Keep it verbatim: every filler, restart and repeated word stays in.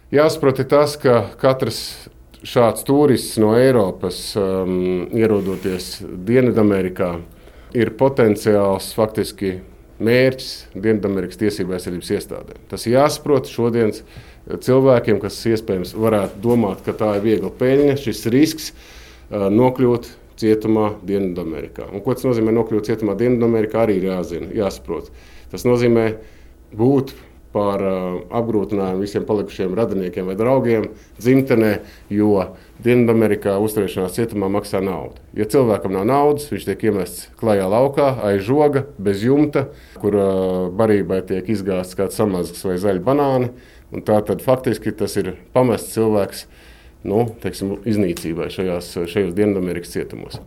Jāsaprot tas, ka katrs šāds turists no Eiropas, um, ierodoties Dienvidamerikā, ir potenciāls faktiski mērķis Dienvidamerikas tiesību aizsardzības iestādēm. Tas ir jāsaprot šodienas cilvēkiem, kas iespējams varētu domāt, ka tā ir viegla peļņa, šis risks uh, nokļūt cietumā Dienvidamerikā. Un ko tas nozīmē nokļūt cietumā Dienvidamerikā, arī ir jāzina, jāsaprot. Tas nozīmē būt par uh, apgrūtinājumu visiem palikušiem radiniekiem vai draugiem dzimtenē, jo Dienvidamerikā uzturēšanās cietumā maksā naudu. Ja cilvēkam nav naudas, viņš tiek iemests klajā laukā, aiz žoga, bez jumta, kur uh, barībai tiek izgāsts kāds samazgs vai zaļi banāni. Un tā tad faktiski tas ir pamests cilvēks, nu, teiksim, iznīcībai šajās, šajos Dienvidamerikas cietumos.